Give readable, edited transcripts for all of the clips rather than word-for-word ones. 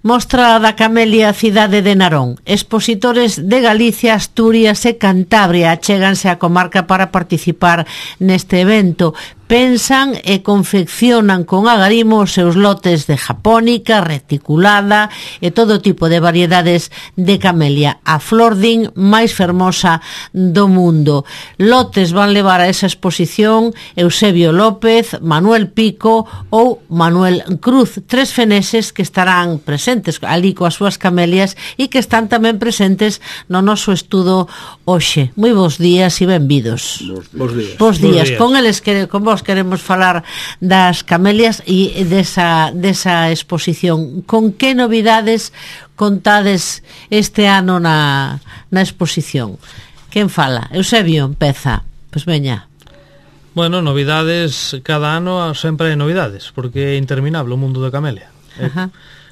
Mostra da camelia Cidade de Narón. Expositores de Galicia, Asturias e Cantabria achéganse á comarca para participar neste evento. Pensan e confeccionan con agarimo os seus lotes de japónica, reticulada e todo tipo de variedades de camelia, a flor din máis fermosa do mundo. Lotes van levar a esa exposición Eusebio López, Manuel Pico ou Manuel Cruz, tres feneses que estarán presentes ali coas súas camelias e que están tamén presentes no noso estudo hoxe. Moi bons días e benvidos. Bos días. Con eles con vos queremos falar das camelias e desa exposición. Con que novidades contades este ano na exposición? Quen fala? Eusebio, empeza. Pois veña. Bueno, novidades, cada ano sempre hai novidades, porque é interminable o mundo da camelia.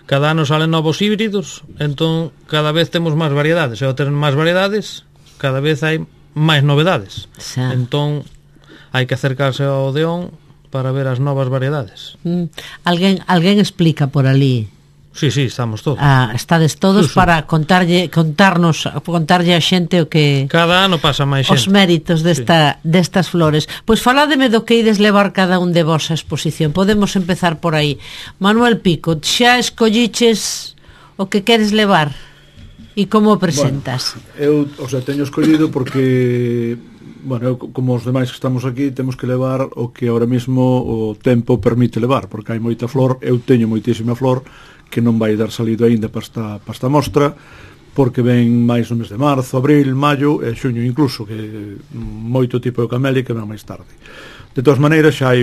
Cada ano salen novos híbridos, entón cada vez temos máis variedades, e ao ter máis variedades, cada vez hai máis novedades. Entón hai que acercarse ao Odeón para ver as novas variedades. Alguén explica por ali? Sí, estamos todos. Estades todos para contarlle a xente o que... Cada ano pasa máis xente. Os méritos destas flores. Pois faládeme do que ides levar cada un de vos a exposición. Podemos empezar por aí. Manuel Pico, xa escolliches o que queres levar? E como o presentas? Bueno, eu teño escollido porque... Bueno, eu, como os demais que estamos aquí, temos que levar o que ahora mesmo o tempo permite levar, porque hai moita flor, eu teño moitísima flor que non vai dar salido aínda para esta mostra, porque ven máis no mes de marzo, abril, maio e xuño incluso, que moito tipo de camelia que ven máis tarde. De todas maneiras, xa hai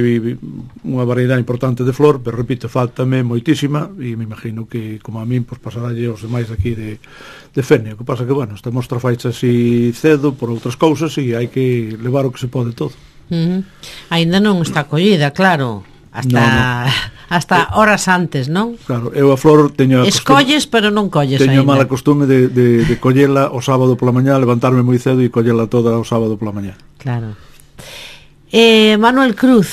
unha variedade importante de flor, pero repito, faltame moitísima e me imagino que, como a min, pues, pasaralle aos demais aquí de Fene. O que pasa que, bueno, esta mostra faixa así cedo por outras cousas e hai que levar o que se pode todo. Ainda non está collida, claro, hasta horas antes, non? Claro, eu a flor teño escolles, pero non colles teño ainda. Mala costume de collela o sábado pola mañá, levantarme moi cedo e collela toda o sábado pola mañá. Claro. Manuel Cruz,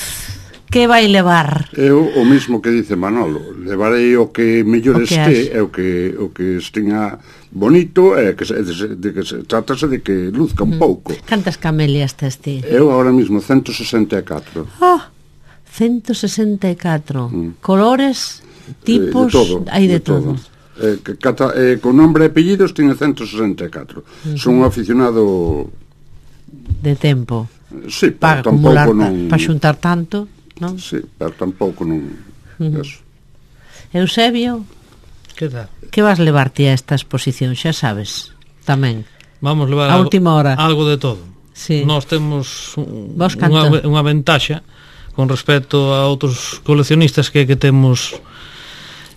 que vai levar? Eu o mismo que dice Manolo, levarei o que mellor este, é o que estea bonito, e que trátase de que luzca un pouco. Cantas camelias tes ti? Eu ahora mismo 164. 164. Colores, tipos, hai de todo. Con nombre e apellidos tiña 164. Son un aficionado de tempo. Sí, para acumular, para xuntar tanto, non? Sí, pero tampouco non eso. Eusebio, que tal? Que vas levarte a esta exposición, xa sabes, tamén. Vamos levar a última hora algo de todo. Sí. Nós temos unha ventaxa con respecto a outros coleccionistas que temos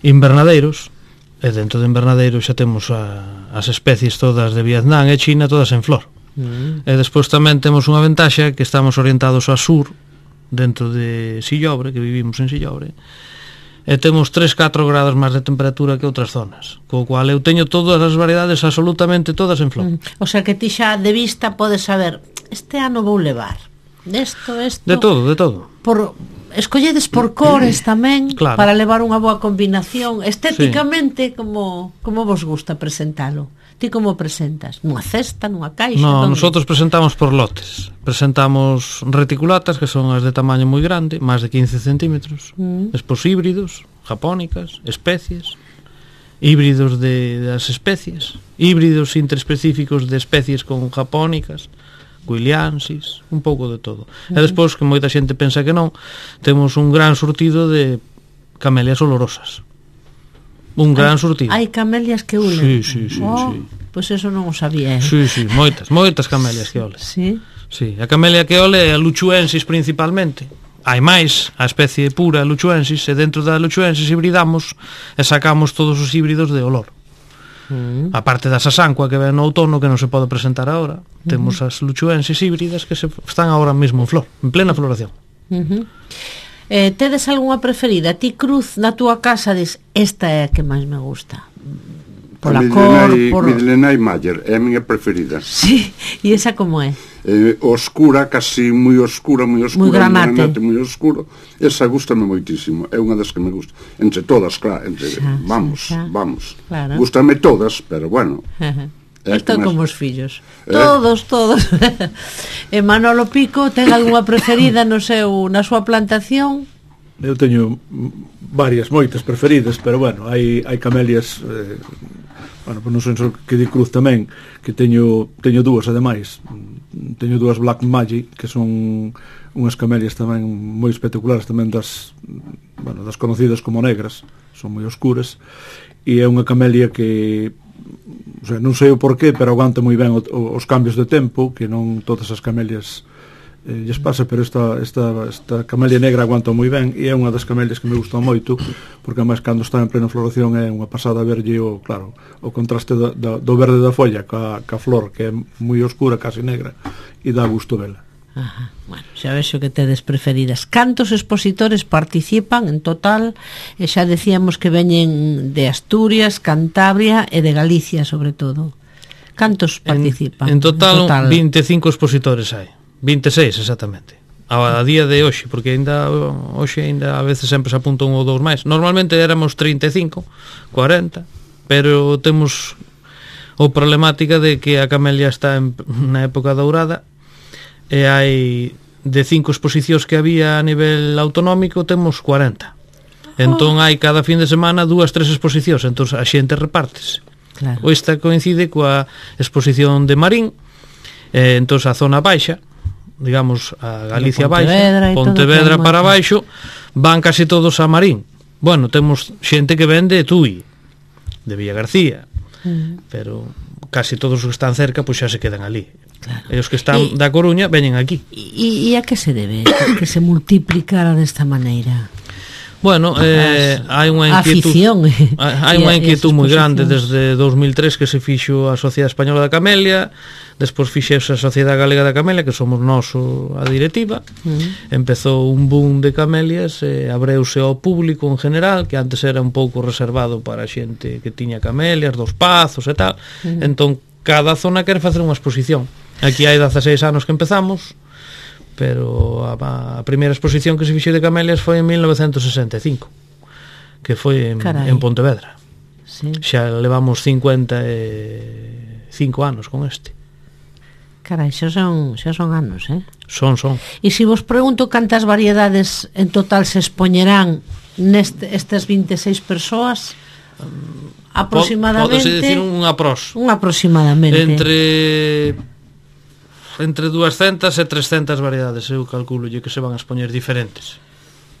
invernadeiros, e dentro de invernadeiros xa temos as especies todas de Vietnam e China todas en flor. E despois tamén temos unha ventaxa que estamos orientados ao sur, dentro de Sillobre, que vivimos en Sillobre, e temos 3-4 grados máis de temperatura que outras zonas, co cual eu teño todas as variedades, absolutamente todas en flor. O sea que ti xa de vista podes saber, este ano vou levar isto. De todo. Escolledes por cores tamén, claro, para levar unha boa combinación estéticamente, sí. como vos gusta presentalo? Ti como presentas? Nunha cesta, nunha caixa? No, nosotros presentamos por lotes. Presentamos reticulatas, que son as de tamaño moi grande, máis de 15 centímetros. Despois híbridos, japónicas, especies, híbridos das especies, híbridos interespecíficos de especies con japónicas, guiliansis, un pouco de todo. E despois, que moita xente pensa que non, temos un gran surtido de camelias olorosas. Un gran surtido. Hai camelias que ulen? Sí. Pois eso non o sabía. Sí, moitas camelias que olen. Sí? Sí, a camelia que ole é a luchuensis principalmente. Hai máis, a especie pura luchuensis, e dentro da luchuensis hibridamos e sacamos todos os híbridos de olor. A parte da sasanqua que ven no outono, que non se pode presentar agora, temos as luchuensis híbridas que están agora mesmo en flor, en plena floración. Tedes algunha preferida? Ti, Cruz, na túa casa dis, esta é a que máis me gusta, pola cor, Midlenay Mayer é a miña preferida. Sí, e esa como é? oscura, casi moi oscura, moi granate, moi oscuro. Esa gustame moitísimo, é unha das que me gusta. Entre todas, claro, vamos. Claro. Gústame todas, pero bueno. Están como os fillos. Todos. E Manolo Pico, ten algunha preferida na súa plantación? Eu teño moitas preferidas, pero bueno, hai camelias, bueno, non sei que di Cruz tamén, que teño dúas ademais. Teño dúas Black Magic, que son unhas camelias tamén moi espectaculares, tamén das conocidas como negras, son moi oscuras, e é unha camelia que, o sea, non sei o porqué, pero aguanta moi ben os cambios de tempo, que non todas as camelias lles pasa, pero esta camelia negra aguanta moi ben, e é unha das camelias que me gusta moito, porque además cando está en plena floración é unha pasada verlle o contraste do verde da folla ca flor, que é moi oscura, casi negra, e dá gusto vela. Ajá. Bueno, xa vexo que tedes preferidas. Cantos expositores participan en total? E xa decíamos que veñen de Asturias, Cantabria e de Galicia, sobre todo. Cantos participan? En total 25 expositores hai. 26, exactamente. A día de hoxe, porque ainda a veces sempre se apunta un ou dous máis. Normalmente éramos 35, 40, pero temos o problemática de que a camelia está na época dourada, e hai de 5 exposicións que había a nivel autonómico, temos 40. Entón hai cada fin de semana 2-3 exposicións, entón a xente repártese. Claro. Esta coincide coa exposición de Marín, entón a zona baixa, digamos a Galicia baixa, Pontevedra para baixo, van casi todos a Marín. Bueno, temos xente que vende de Tui, de Villagarcía, pero casi todos os que están cerca pois xa se quedan ali. Claro. E os que están da Coruña veñen aquí. E a que se debe que se multiplicara desta maneira? Bueno, hai unha inquietud, hai unha inquietud moi grande desde 2003 que se fixo a Sociedade Española da Camelia, despois fixeuse a Sociedade Galega da Camelia, que somos nós a directiva. Empezou un boom de camelias, abreuse ao público en general, que antes era un pouco reservado para a xente que tiña camelias, dos pazos e tal. Entón, cada zona quere facer unha exposición. Aquí hai 16 anos que empezamos, pero a primeira exposición que se fixo de camelias foi en 1965, que foi en Pontevedra. Sí. Xa levamos 55 anos con este. Carai, xa son anos, Son. E se vos pregunto cantas variedades en total se expoñerán nestas 26 persoas, aproximadamente... Podese dicir un aproximadamente. Entre 200 e 300 variedades, eu calculo que se van a expoñer diferentes.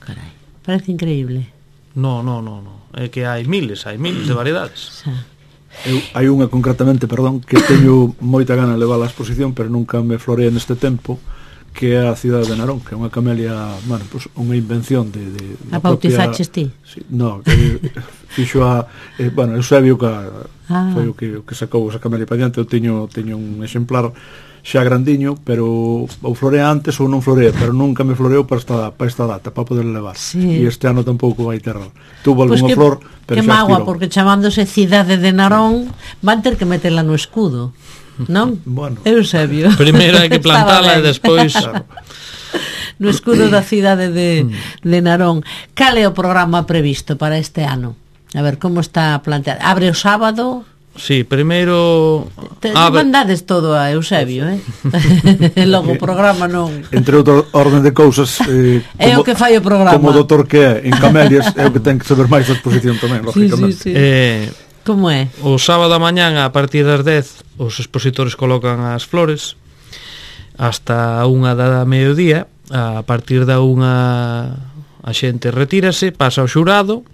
Carai, parece increíble. No, é que hai miles de variedades. Hai unha concretamente, que teño moita gana de levar a exposición, pero nunca me florea neste tempo, que é a cidade de Narón, que é unha camelia, bueno, pues, unha invención de a bautizaches ti? Sí, no, que fixo Eusebio, foi o que sacou esa camelia para diante. Eu teño un exemplar xa grandiño, pero ou florea antes ou non florea, pero nunca me floreou para esta data, para poder levar. E este ano tampouco vai ter. Tuvo algunha flor, pero xa estirou. Porque chamándose Cidade de Narón, van ter que metela no escudo, non? Bueno. Eusebio. Primeiro hai que plantala e despois... No escudo da cidade de Narón. Cal é o programa previsto para este ano? A ver, como está planteado? Abre o sábado... Sí, primeiro... mandades todo a Eusebio, logo o programa non... Entre outra orden de cousas... é o que fai o programa. Como o doutor que é en camelias, é o que ten que saber máis da exposición tamén, lógicamente. Sí. Como é? O sábado a mañán, a partir das 10, os expositores colocan as flores hasta 1 da mediodía. A partir da 1 a xente retírase, pasa ao xurado,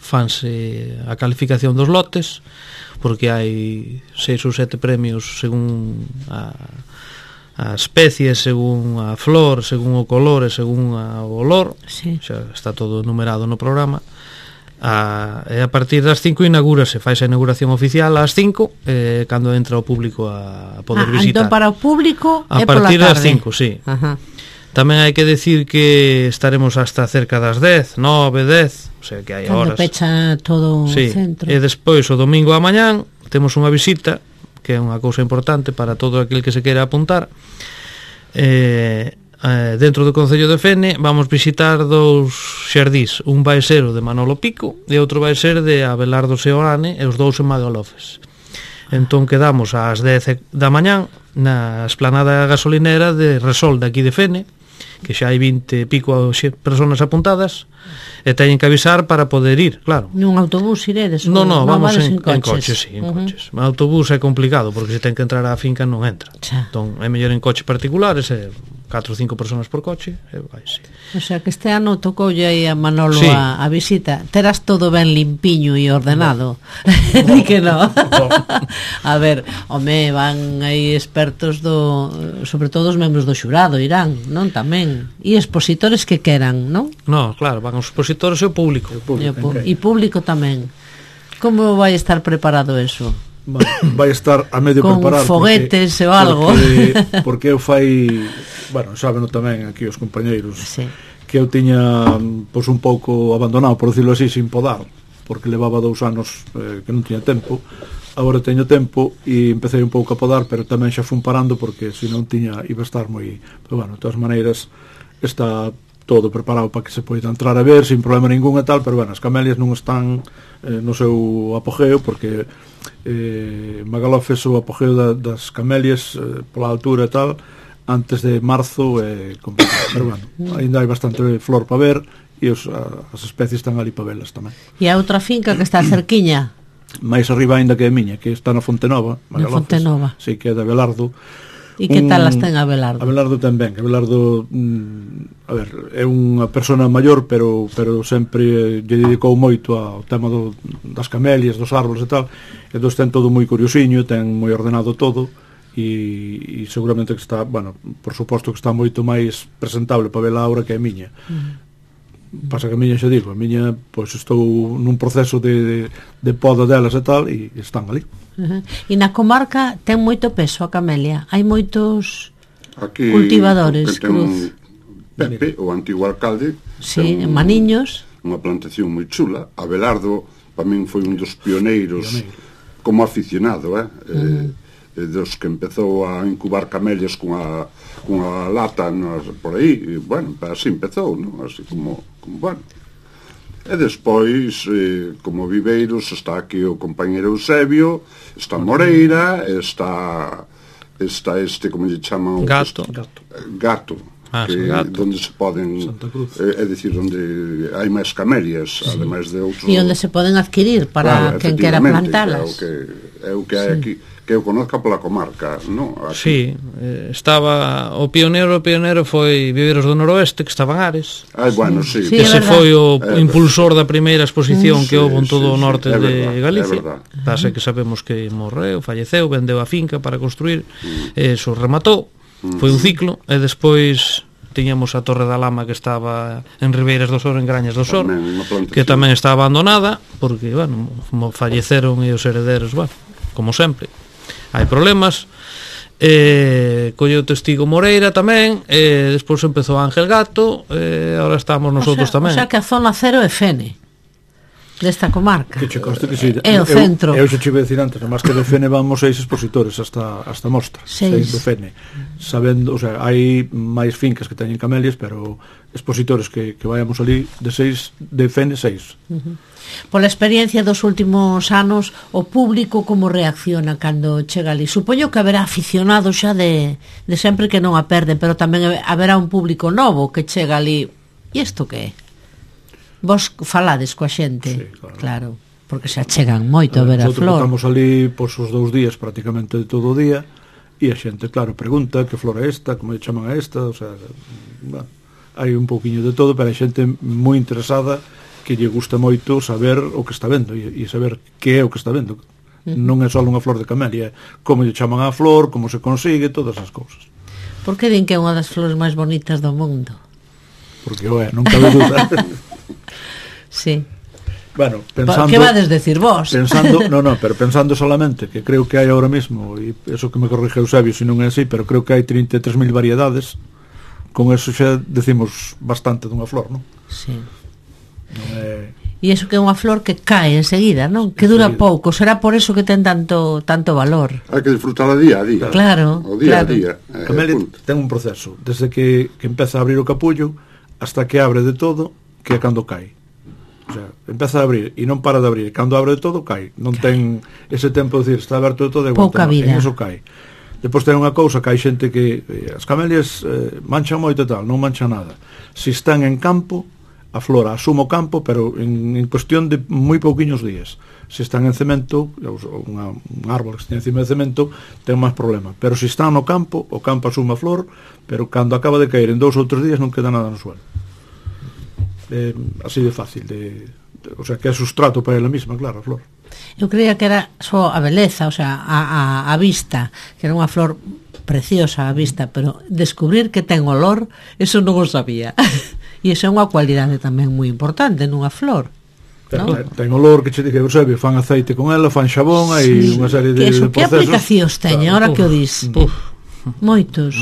fanse a calificación dos lotes, porque hai 6 ou 7 premios según a especie, según a flor, según o color e según o olor. Sí. Xa está todo numerado no programa. E a partir das 5 inaugúrase, faise a inauguración oficial ás 5, cando entra o público a poder visitar. Entón para o público a partir das 5, sí. Ajá. Tamén hai que decir que estaremos hasta cerca das 10, 9, 10, o sea que hai horas. Cando pecha todo o centro. E despois o domingo a mañán temos unha visita que é unha cousa importante para todo aquel que se queira apuntar. Dentro do Concello de Fene vamos visitar dous xardís, un vai ser o de Manolo Pico e outro vai ser de Abelardo Seoane, e os dous en Magalofes. Entón quedamos ás 10 da mañán na esplanada gasolinera de Resol de aquí de Fene, que xa hai 20 e pico personas apuntadas, e teñen que avisar para poder ir, claro. Nun autobús iredes? No, vamos en coche, sí, en coches. O autobús é complicado, porque se ten que entrar á finca non entra. Entón é mellor en coche particulares, 4 ou 5 personas por coche, e vai, sí. O sea, que este ano tocoulle aí a Manolo a visita. Terás todo ben limpiño e ordenado. Di que no. A ver, home, van aí expertos sobre todo os membros do xurado, irán, non? Tamén. E expositores que queran, non? No, claro, van os expositores e o público. E público tamén. Como vai estar preparado eso? Vai estar a medio con preparado con foguetes ou algo porque eu fai, bueno, sábeno tamén aquí os compañeiros, sí, que eu tiña pois un pouco abandonado, por decirlo así, sin podar, porque levaba 2 anos que non tiña tempo. Agora teño tempo e empecé un pouco a podar, pero tamén xa fun parando porque se non tiña iba a estar moi, pero bueno, de todas maneiras está todo preparado para que se poida entrar a ver sin problema ningún e tal, pero bueno, as camelias non están no seu apogeo, porque Magalofes o apogeo das camelias pola altura e tal antes de marzo é complicado, pero bueno, ainda hai bastante flor para ver e as especies están ali para velas tamén. E a outra finca que está cerquiña máis arriba ainda que a miña, que está na Fontenova, Magalofes, na Fontenova, sí, que é de Abelardo. E que tal as ten Abelardo? Abelardo tamén, Abelardo a ver, é unha persona maior, pero sempre lle dedicou moito ao tema das camelias, dos árboles e tal, e dos ten todo moi curiosiño, ten moi ordenado todo, e seguramente que está, bueno, por suposto que está moito máis presentable para vela ahora que a miña. Pasa que a miña, xa digo, a miña, pois estou nun proceso de poda delas e tal, e están ali. E na comarca ten moito peso a camelia? Hai moitos aquí, cultivadores? Cruz. Pepe, o antigo alcalde, sí, en Maniños, unha plantación moi chula. Abelardo para min foi un dos pioneiros como aficionado, dos que empezou a incubar camelias cunha lata por aí, e, bueno, así empezou, ¿no? Así como bueno. E despois, como viveiros, está aquí o compañero Eusebio, está Moreira, está este, como lle chaman? Gato. Que donde se poden, é dicir, onde hai máis camelias, ademais de outros. E onde se poden adquirir para quen quera plantalas. É o que hai aquí, que eu conozca pola comarca, non? Sí, estaba o pioneiro foi Viveiros do Noroeste, que estaban Ares. Bueno, sí. Ese foi o impulsor da primeira exposición que houve en todo o norte de Galicia. Pasa que sabemos que morreu, falleceu, vendeu a finca para construir, eso rematou, foi un ciclo, e despois tiñamos a Torre da Lama, que estaba en Ribeiras do Sor, en Grañas do Sor, que tamén está abandonada porque, bueno, falleceron e os herederos, bueno, como sempre hai problemas. Colleu testigo Moreira tamén, despois empezou Ángel Gato, agora estamos nosotros tamén. O sea que a zona cero é Fene desta comarca, que che conste que sí, é o centro. Eu xa che iba a decir antes, máis que de Fene vamos 6 expositores hasta mostra, 6 do Fene, sabendo, o sea, hai máis fincas que teñen camelias, pero expositores que vayamos ali de 6 de Fene 6. Pola experiencia dos últimos anos, o público como reacciona cando chega ali? Supoño que haberá aficionados xa de sempre que non a perden, pero tamén haberá un público novo que chega ali. E isto que é? Vos falades coa xente? Sí, claro, porque xa chegan moito a ver a flor. Estamos ali por os 2 días prácticamente de todo o día, e a xente, claro, pregunta que flor é esta, como chaman a esta, o sea, bueno, hai un pouquiño de todo, pero hai xente moi interesada que lle gusta moito saber o que está vendo e saber que é o que está vendo. Non é só unha flor de camelia, como lle chaman a flor, como se consigue, todas as cousas. Por que din que é unha das flores máis bonitas do mundo? Porque, non cabe duda. Sí. Bueno, pensando... Que vades decir vos? Pero pensando solamente que creo que hai ahora mismo, e eso que me corrige Eusebio se non é así, pero creo que hai 33.000 variedades, con eso xa decimos bastante dunha flor, non? Sí. E iso que é unha flor que cae enseguida, non? Que dura pouco, será por eso que ten tanto valor. Hai que disfrutar día a día. Claro, o día claro. a día. A camelia ten un proceso, desde que empeza a abrir o capullo hasta que abre de todo, que é cando cae. O sea, empeza a abrir e non para de abrir, cando abre de todo cae. Non ten ese tempo de decir, está aberto de todo e pouca vida. En eso cae. Depois ten unha cousa que hai xente que as camelias manchan moito e tal, non manchan nada. Se están en campo, a flor asume o campo, pero en cuestión de moi pouquiños días. Se están en cemento, un árbol que está encima de cemento, ten máis problema. Pero se están no campo, o campo asume a flor, pero cando acaba de caer en 2 ou 3 días non queda nada no suelo. Así de fácil, o sea, que é sustrato para ela mesma, claro, a flor. Eu creía que era só a beleza, o sea, a vista, que era unha flor preciosa a vista, pero descubrir que ten olor, eso non o sabía. E iso é unha cualidade tamén moi importante nunha flor. Ten olor que che diga, sabe, fan aceite con ela, fan xabón, hai unha serie de procesos. Que aplicacións teñen, ahora que o dis? Moitas.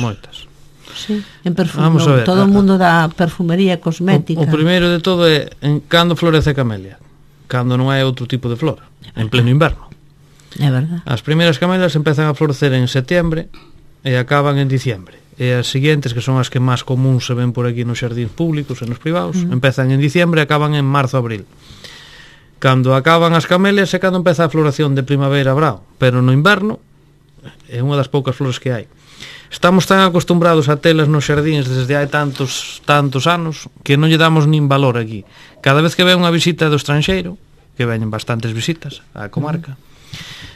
Sí, en perfume, todo o mundo da perfumería cosmética. O primeiro de todo é en cando florece a camelia, cando non hai outro tipo de flor, en pleno inverno. É verdad. As primeiras camelias empezan a florecer en setembro e acaban en diciembre. E as seguintes, que son as que máis común se ven por aquí nos xardíns públicos e nos privados, empezan en diciembre e acaban en marzo-abril. Cando acaban as camelias é cando empeza a floración de primavera-brao, pero no inverno é unha das poucas flores que hai. Estamos tan acostumbrados a telas nos xardíns desde hai tantos anos que non lle damos nin valor aquí. Cada vez que ve unha visita do estranxeiro, que veñen bastantes visitas á comarca,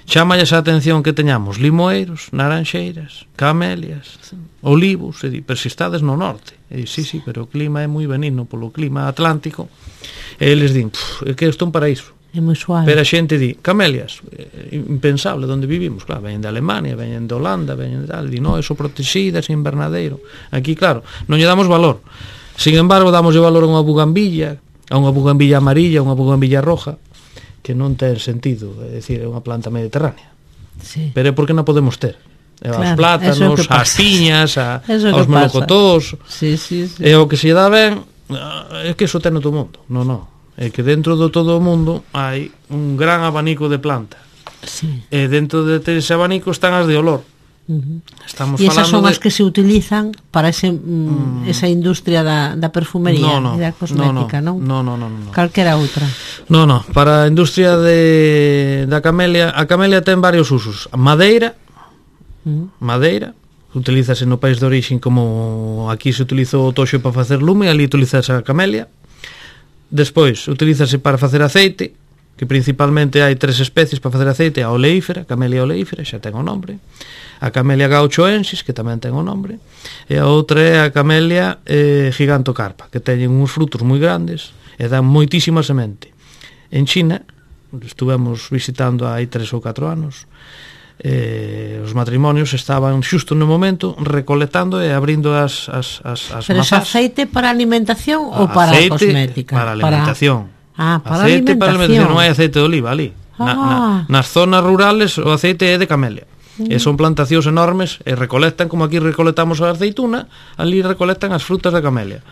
chámalles a atención que teñamos limoeiros, naranxeiras, camelias, olivos, pero se estades no norte. E sí, pero o clima é moi benigno polo clima atlántico. E eles din, é que isto é un paraíso. É moi suave. Pero a xente di, camelias, impensable onde vivimos, claro, veñen de Alemania, veñen de Holanda, veñen de tal, di, no, eso protegidas, invernadeiro. Aquí, claro, non lle damos valor. Sin embargo, damoslle valor a unha bugambilla amarilla, a unha bugambilla roja, que non ten sentido, é dicir, é unha planta mediterránea. Sí. Pero é porque non podemos ter. Claro, as plátanos, as piñas, aos melocotós. Sí. E o que se dá ben é que iso ten no todo mundo. Non. É que dentro do todo o mundo hai un gran abanico de planta. Sí. E dentro de ese abanico están as de olor. Estamos e esas son falando as que se utilizan para esa industria da perfumería e da cosmética, non? Non. Calquera outra. Non, para a industria da camelia, a camelia ten varios usos. Madeira, utilízase no país de origen, como aquí se utilizou o toxo para facer lume, ali utilízase a camelia. Despois, utilízase para facer aceite, que principalmente hai 3 especies para facer aceite: a oleífera, camelia oleífera, xa ten o nombre, a camelia gauchoensis, que tamén ten o nombre, e a outra é a camelia gigantocarpa, que teñen uns frutos moi grandes e dan moitísima semente. En China, estuvemos visitando hai 3 ou 4 anos, os matrimonios estaban xusto no momento recolectando e abrindo as pero mazás. Pero aceite para alimentación ou para cosmética? Para alimentación. Para aceite alimentación. Para alimentación, non hai aceite de oliva ali. Nas zonas rurales o aceite é de camelia. E son plantacións enormes e recolectan, como aquí recolectamos a aceituna, ali recolectan as frutas da camelia.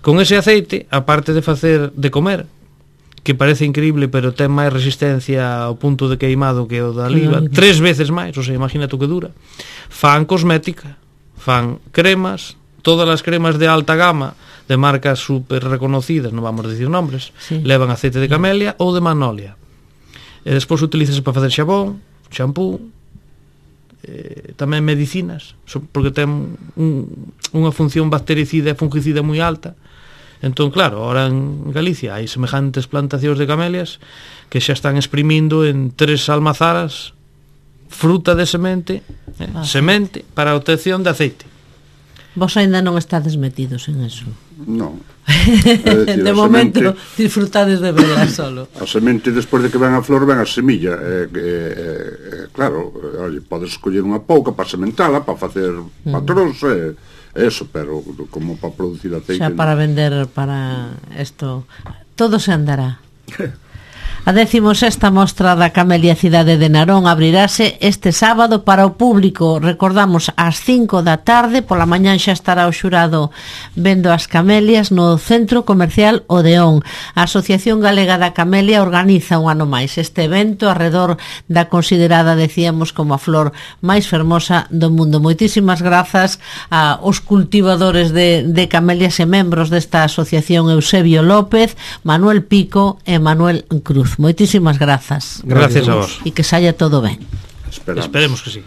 Con ese aceite, aparte de comer, que parece increíble, pero ten máis resistencia ao punto de queimado que o da oliva, 3 veces máis, o sea, imagínate o que dura. Fan cosmética, fan cremas, todas as cremas de alta gama, de marcas super reconocidas, non vamos a dicir nombres, levan aceite de camelia ou de magnolia. E despois utilízase para facer xabón, xampú, tamén medicinas, porque ten unha función bactericida e fungicida moi alta. Entón, claro, ahora en Galicia hai semejantes plantacións de camelias que xa están exprimindo en 3 almazaras fruta de semente, semente para a obtención de aceite. Vos ainda non estades metidos en eso? Non. De momento disfrutades de verla solo. A semente, despois de que ven a flor, ven a semilla. Claro, podes escoller unha pouca para sementala, para facer patróns, eso, pero como para producir aceite. Xa para vender para isto, todo se andará. A 16ª mostra da Camelia Cidade de Narón abrirase este sábado para o público. Recordamos, ás 5 da tarde, pola mañán xa estará o xurado vendo as camelias no Centro Comercial Odeón. A Asociación Galega da Camelia organiza un ano máis este evento arredor da considerada, decíamos, como a flor máis fermosa do mundo. Moitísimas grazas aos cultivadores de camelias e membros desta asociación, Eusebio López, Manuel Pico e Manuel Cruz. Moitísimas grazas. Gracias a vos. E que saia todo ben. Esperemos Esperemos que sí.